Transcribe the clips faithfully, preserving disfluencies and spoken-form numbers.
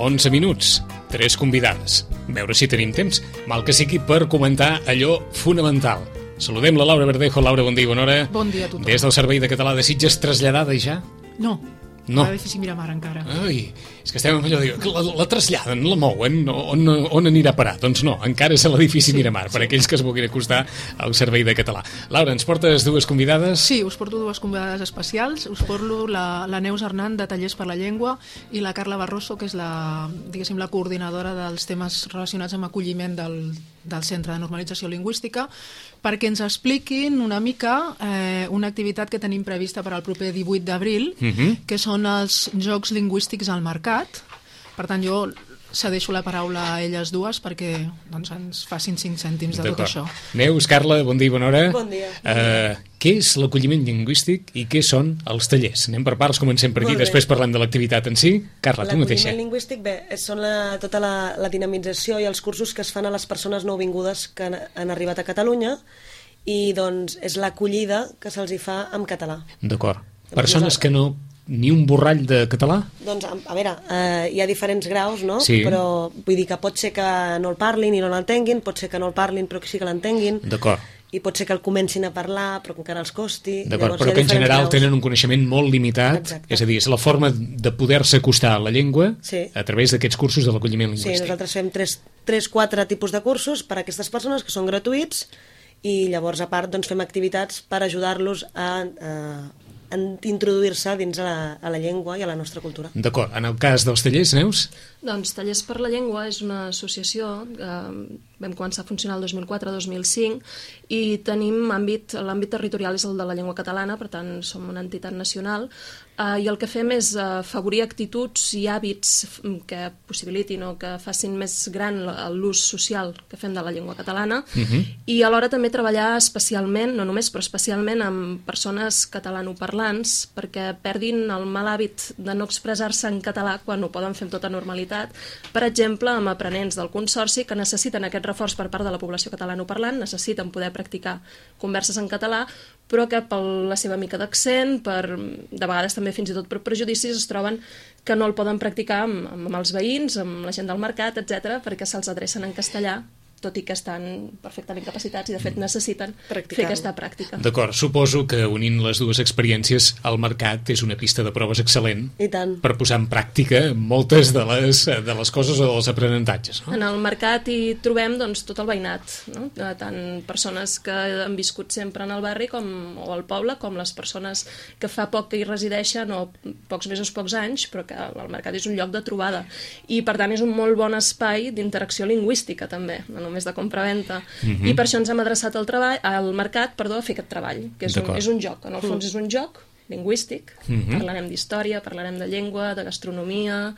onze minuts, tres convidades. Veure si tenim temps, mal que sigui per comentar allò fonamental. Saludem la Laura Verdejo. Laura, bon dia i bona hora. Bon dia a tothom. Des del Servei de Català de Sitges, traslladada ja? No. No. A l'edifici Miramar encara. Ai, és que estem amb allò, diu, la, la traslladen, la mouen, on, on anirà a parar? Doncs no, encara és a l'edifici sí, Miramar, per sí. aquells que es vulguin acostar al Servei de Català. Laura, ens portes dues convidades? Sí, us porto dues convidades especials. Us porto la, la Neus Hernán, de Tallers per la Llengua, i la Carla Barroso, que és la, diguéssim, la coordinadora dels temes relacionats amb acolliment del, del Centre de Normalització Lingüística, perquè ens expliquin una mica eh, una activitat que tenim prevista per al proper divuit d'abril, uh-huh. que són els Jocs Lingüístics al Mercat. Per tant, jo cedeixo la paraula a elles dues perquè doncs, ens facin cinc cèntims de tot això. Neus, Carla, bon dia i bona hora. Bon dia. Uh, què és l'acolliment lingüístic i què són els tallers? Anem per parts, comencem per aquí, després parlem de l'activitat en si. Carla, tu mateixa. L'acolliment lingüístic, bé, són la, tota la, la dinamització i els cursos que es fan a les persones nouvingudes que han, han arribat a Catalunya i doncs és l'acollida que se'ls hi fa en català. D'acord. Persones que no... Ni un borrall de català? Doncs, a veure, eh, hi ha diferents graus, no? Sí. Però vull dir que pot ser que no el parlin i no l'entenguin, pot ser que no el parlin però que sí que l'entenguin. D'acord. I pot ser que el comencin a parlar però que encara els costi. D'acord, però que en general graus. Tenen un coneixement molt limitat. Exacte. És a dir, és la forma de poder-se acostar a la llengua sí. a través d'aquests cursos de l'acolliment lingüístic. Sí, nosaltres fem tres, quatre tipus de cursos per a aquestes persones que són gratuïts i llavors a part doncs, fem activitats per ajudar-los a... a en introduir-se dins a la, a la llengua i a la nostra cultura. D'acord. En el cas dels tallers, Neus? Doncs Tallers per la Llengua és una associació que vam començar a funcionar el dos mil quatre dos mil cinc i tenim àmbit, l'àmbit territorial és el de la llengua catalana, per tant som una entitat nacional eh, i el que fem és afavorir actituds i hàbits que possibilitin o que facin més gran l'ús social que fem de la llengua catalana uh-huh. i alhora també treballar especialment, no només però especialment amb persones catalanoparlants perquè perdin el mal hàbit de no expressar-se en català quan ho poden fer amb tota normalitat. Per exemple, amb aprenents del Consorci que necessiten aquest reforç per part de la població catalanoparlant, necessiten poder practicar converses en català, però que per la seva mica d'accent, per, de vegades també fins i tot per prejudicis, es troben que no el poden practicar amb, amb els veïns, amb la gent del mercat, etcètera, perquè se'ls adrecen en castellà, tot i que estan perfectament capacitats i de fet necessiten fer aquesta pràctica. D'acord, suposo que unint les dues experiències al mercat és una pista de proves excel·lent per posar en pràctica moltes de les, de les coses o dels aprenentatges. No? En el mercat hi trobem doncs, tot el veïnat, no? Tant persones que han viscut sempre en el barri com, o al poble, com les persones que fa poc que hi resideixen o pocs mesos, pocs anys, però que el mercat és un lloc de trobada i per tant és un molt bon espai d'interacció lingüística també, no només de compra-venta. Uh-huh. I per això ens hem adreçat al, treball, al mercat perdó, a fer aquest treball, que és un, és un joc. En el fons és un joc lingüístic. Uh-huh. Parlarem d'història, parlarem de llengua, de gastronomia,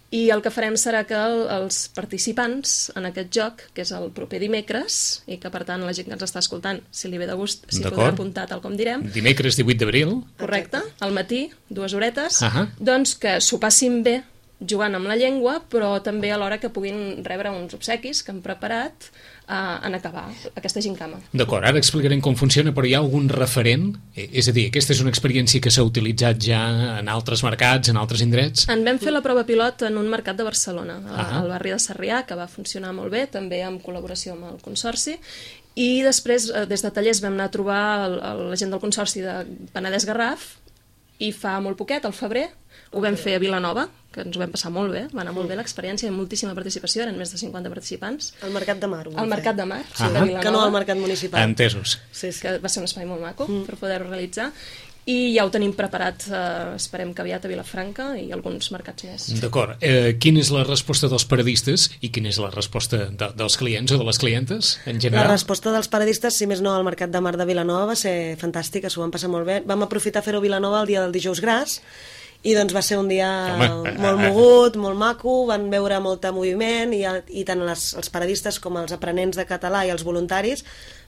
i el que farem serà que els participants en aquest joc, que és el proper dimecres, i que per tant la gent que ens està escoltant, si li ve de gust, s'hi podrà apuntar tal com direm. Dimecres divuit d'abril. Correcte, al matí, dues horetes, uh-huh. doncs que s'ho passin bé jugant amb la llengua, però també alhora que puguin rebre uns obsequis que han preparat uh, en acabar aquesta gincama. D'acord, ara explicarem com funciona, però hi ha algun referent? És a dir, aquesta és una experiència que s'ha utilitzat ja en altres mercats, en altres indrets? En vam fer la prova pilot en un mercat de Barcelona, uh-huh. al barri de Sarrià, que va funcionar molt bé, també en col·laboració amb el Consorci, i després, des de Tallers, vam anar a trobar la gent del Consorci de Penedès Garraf, i fa molt poquet, al febrer, ho vam fer a Vilanova, que ens ho vam passar molt bé, va anar molt bé l'experiència, hi ha moltíssima participació, eren més de cinquanta participants. Al Mercat de Mar. Al Mercat de Mar, sí, de Vilanova. Que no al Mercat municipal. Entesos. Sí, sí. Que va ser un espai molt maco mm. per poder-ho realitzar. I ja ho tenim preparat, eh, esperem que aviat a Vilafranca i alguns mercats més. D'acord. Eh, quina és la resposta dels paradistes i quina és la resposta de, dels clients o de les clientes, en general? La resposta dels paradistes, si més no, al Mercat de Mar de Vilanova va ser fantàstica, s'ho vam passar molt bé. Vam aprofitar a fer-ho a Vilanova el dia del dijous gras, i doncs va ser un dia Home. molt mogut, molt maco, van veure molt moviment i, i tant les, els paradistes com els aprenents de català i els voluntaris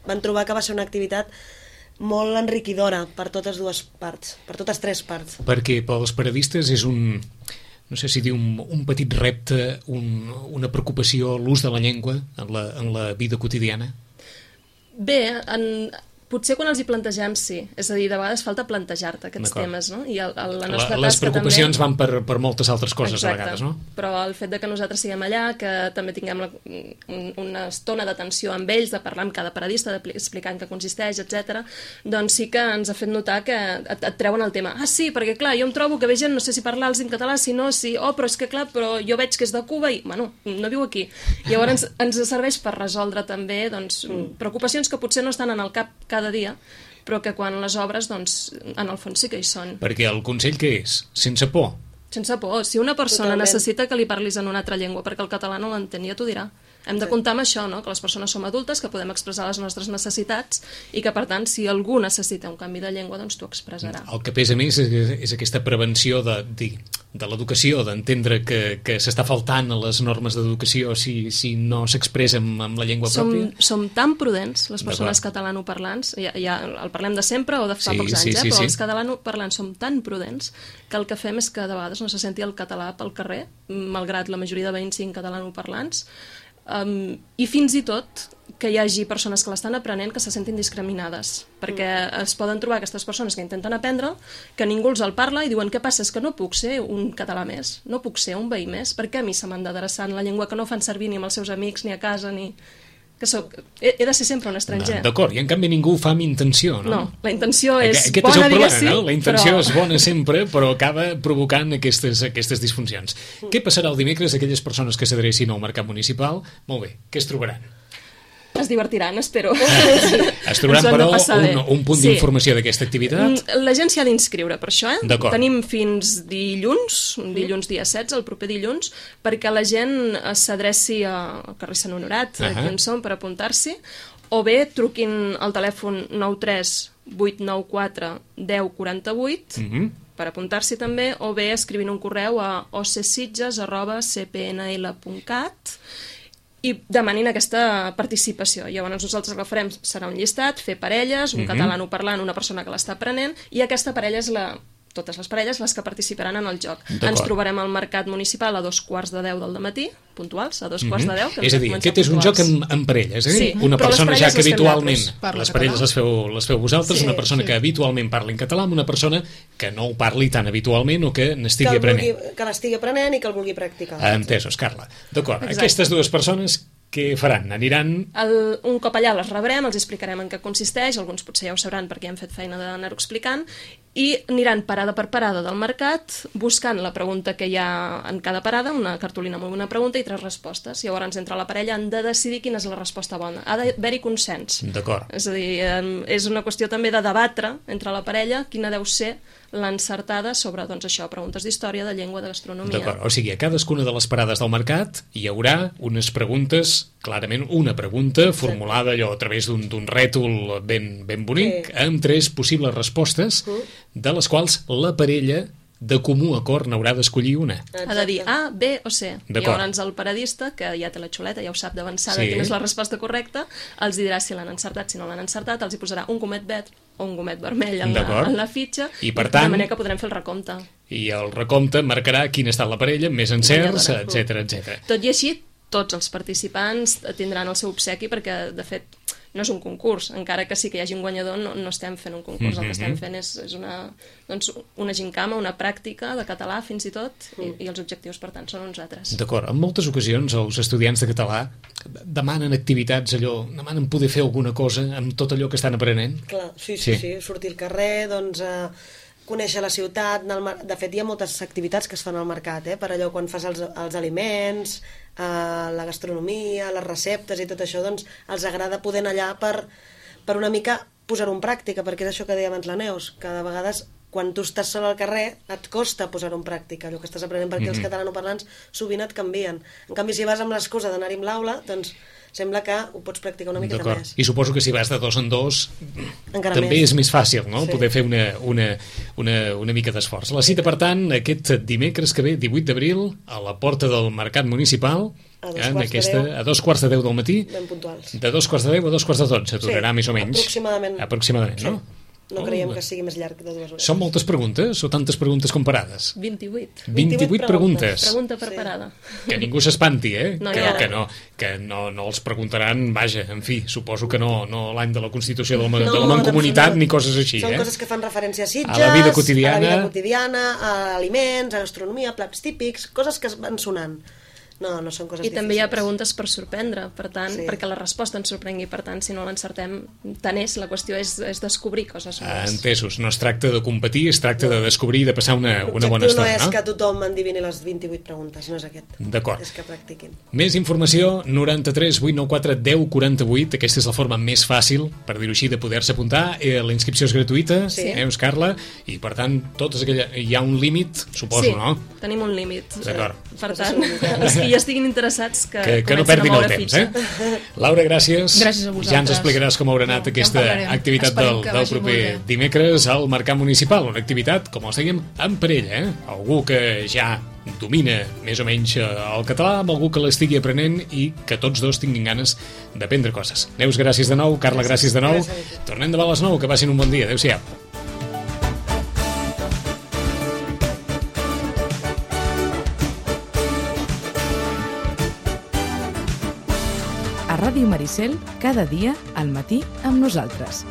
van trobar que va ser una activitat molt enriquidora per totes dues parts, per totes tres parts. Perquè pels paradistes és un, no sé si dir, un, un petit repte, un, una preocupació, l'ús de la llengua en la, en la vida quotidiana? Bé, en... Potser quan els hi plantegem, sí. És a dir, de vegades falta plantejar-te aquests temes, no? I el, el, la nostra la, les preocupacions també... van per, per moltes altres coses. Exacte. A vegades, no? Però el fet de que nosaltres siguem allà, que també tinguem la, una estona d'atenció amb ells, de parlar amb cada paradista, d'explicar en què consisteix, etcètera, doncs sí que ens ha fet notar que et, et treuen el tema. Ah, sí, perquè clar, jo em trobo que ve gent, no sé si parlar-los en català, si no, si... Oh, però és que clar, però jo veig que és de Cuba i, bueno, no viu aquí. Llavors ens, ens serveix per resoldre també, doncs, mm. preocupacions que potser no estan en el cap cada dia, però que quan les obres, doncs, en el fons sí que hi són. Perquè el consell què és? Sense por. Sense por. Si una persona Totalment. necessita que li parlis en una altra llengua perquè el català no l'entén, ja t'ho dirà. Hem de comptar amb això, no? Que les persones som adultes, que podem expressar les nostres necessitats i que, per tant, si algú necessita un canvi de llengua, doncs t'ho expressarà. El que pesa més és, és aquesta prevenció de, de, de l'educació, d'entendre que, que s'està faltant a les normes d'educació si, si no s'expressa amb, amb la llengua som, pròpia. Som tan prudents, les persones catalanoparlants, ja, ja el parlem de sempre o de fa sí, pocs anys, sí, eh? sí, però sí. els catalanoparlants som tan prudents que el que fem és que de vegades no se senti el català pel carrer, malgrat la majoria de veïns siguin catalanoparlants. Um, i fins i tot que hi hagi persones que l'estan aprenent que se sentin discriminades, perquè es poden trobar aquestes persones que intenten aprendre, que ningú els el parla i diuen què passa, és que no puc ser un català més, no puc ser un veí més, perquè a mi se m'han d'adreçar en la llengua que no fan servir ni amb els seus amics, ni a casa, ni... que soc... he, he de ser sempre un estranger. D'acord, i en canvi ningú ho fa amb intenció, no? No, la intenció és Aquest bona, és el problema, diguéssim, no? La intenció però... és bona sempre, però acaba provocant aquestes, aquestes disfuncions. Mm. Què passarà el dimecres a aquelles persones que s'adrecin al mercat municipal? Molt bé, què es trobaran? Es divertiran, espero. Es trobaran, però, un, un punt sí. d'informació d'aquesta activitat? La gent s'hi ha d'inscriure per això, eh? D'acord. Tenim fins dilluns, dilluns dia setze, el proper dilluns, perquè la gent s'adreci al carrer Sant Honorat, uh -huh. aquí on som, per apuntar-s'hi, o bé truquin al telèfon nou tres vuit nou quatre deu quaranta-vuit, uh -huh. per apuntar-s'hi també, o bé escrivint un correu a ocsitges arroba c p n l punt cat i demanin aquesta participació. Llavors nosaltres el que farem serà un llistat, fer parelles, un uh -huh. catalanoparlant, una persona que l'està aprenent, i aquesta parella és la... totes les parelles les que participaran en el joc. Ens trobarem al mercat municipal a dos quarts de deu del dematí, puntuals, a dos quarts de deu. És a dir, aquest és un joc amb, amb parelles, eh? Sí, una persona ja que habitualment... Les parelles les feu, les feu vosaltres, sí, una persona sí. que habitualment parla en català, amb una persona que no ho parli tan habitualment o que n'estigui aprenent. Que l'estigui aprenent i que el vulgui practicar. Entesos, Carla. D'acord, aquestes dues persones... Què faran? Aniran... El, un cop allà les rebrem, els explicarem en què consisteix, alguns potser ja ho sabran perquè hem fet feina d'anar-ho explicant, i aniran parada per parada del mercat buscant la pregunta que hi ha en cada parada, una cartolina amb una pregunta i tres respostes. Llavors, entre la parella han de decidir quina és la resposta bona. Ha d'haver-hi consens. D'acord. És a dir, és una qüestió també de debatre entre la parella quina deu ser l'encertada sobre, doncs això, preguntes d'història, de llengua, de gastronomia. D'acord, o sigui, a cadascuna de les parades del mercat hi haurà unes preguntes, clarament una pregunta formulada allò a través d'un rètol ben, ben bonic, sí. amb tres possibles respostes, de les quals la parella de comú acord n'haurà d'escollir una. Ha de dir A, B o C. Llavors el paradista, que ja té la xuleta, ja ho sap d'avançada sí. quina és la resposta correcta, els dirà si l'han encertat, si no l'han encertat, els hi posarà un gomet verd o un gomet vermell en, la, en la fitxa, i per tant, de manera que podrem fer el recompte. I el recompte marcarà quina ha estat la parella, més encerts, etcètera, etcètera. Tot i així, tots els participants tindran el seu obsequi perquè, de fet, no és un concurs, encara que sí que hi hagi un guanyador, no, no estem fent un concurs, mm-hmm. el que estem fent és, és una, doncs, una gincama, una pràctica de català fins i tot, i, i els objectius, per tant, són uns altres. D'acord, en moltes ocasions els estudiants de català demanen activitats, allò, demanen poder fer alguna cosa amb tot allò que estan aprenent. Clar, sí, sí, sí, sí. Sortir al carrer, doncs... Eh... conèixer la ciutat, de fet hi ha moltes activitats que es fan al mercat, eh? Per allò quan fas els, els aliments, eh, la gastronomia, les receptes i tot això, doncs els agrada poder anar allà per, per una mica posar-ho en pràctica, perquè és això que deia abans la Neus, que de vegades quan tu estàs sol al carrer et costa posar-ho en pràctica, allò que estàs aprenent, perquè mm-hmm. els catalanoparlants sovint et canvien. En canvi, si vas amb l'excusa d'anar-hi amb l'aula, doncs sembla que ho pots practicar una miqueta més. I suposo que si vas de dos en dos encara també més. És més fàcil, no? Sí. Poder fer una, una, una, una mica d'esforç. La cita, per tant, aquest dimecres que ve, divuit d'abril, a la porta del Mercat Municipal, a dos, en aquesta, a dos quarts de deu del matí, ben puntuals. De dos quarts de deu a dos quarts de dotze, durarà sí, més o menys. Aproximadament. Aproximadament, sí. no? No Oh, creiem bé. que sigui més llarg de dues hores. Són moltes preguntes o tantes preguntes comparades? vint-i-vuit. vint-i-vuit preguntes. Pregunta per Sí. parada. Que ningú s'espanti, eh? No, que, ja. que, no, que no, no els preguntaran, vaja, en fi, suposo que no, no l'any de la Constitució de la, no, de la Mancomunitat en ni coses així, Són eh? coses que fan referència a Sitges, A la vida quotidiana. a la vida quotidiana, a aliments, a gastronomia, plats típics, coses que es van sonant. No, no són coses I difícils. també hi ha preguntes per sorprendre, per tant, Sí. perquè la resposta ens sorprengui, per tant, si no l'encertem, tant és, la qüestió és, és descobrir coses Ah, noves. entesos, no es tracta de competir, es tracta de descobrir i de passar una, una bona L'objectiu no estona, és no? que tothom endivini les vint-i-vuit preguntes, no és aquest. D'acord. És que practiquin. Més informació, noranta-tres vuit nou quatre deu quaranta-vuit, aquesta és la forma més fàcil, per dir-ho així, de poder-se apuntar. Eh, La inscripció és gratuïta, Sí. eh, Carla, i per tant, totes aquella... hi ha un límit, suposo, sí, no? tenim un límit. D'acord. Per tant, els que hi estiguin interessats que, Que, que no comencin a perdin el moure temps, fitxa. eh? Laura, gràcies. Gràcies a vosaltres. Ja ens explicaràs com haurà anat Ja en aquesta parlarem. activitat Esperem del, que del vagi proper molt bé. dimecres al Mercat Municipal, una activitat, com els dèiem, en parella, eh? Algú que ja domina més o menys eh, el català, amb algú que l'estigui aprenent i que tots dos tinguin ganes d'aprendre coses. Neus, gràcies de nou. Carla, gràcies de nou. Gràcies a tu. Tornem demà a les nou, que passin un bon dia. Adéu-siau. A Ràdio Maricel, cada dia al matí amb nosaltres.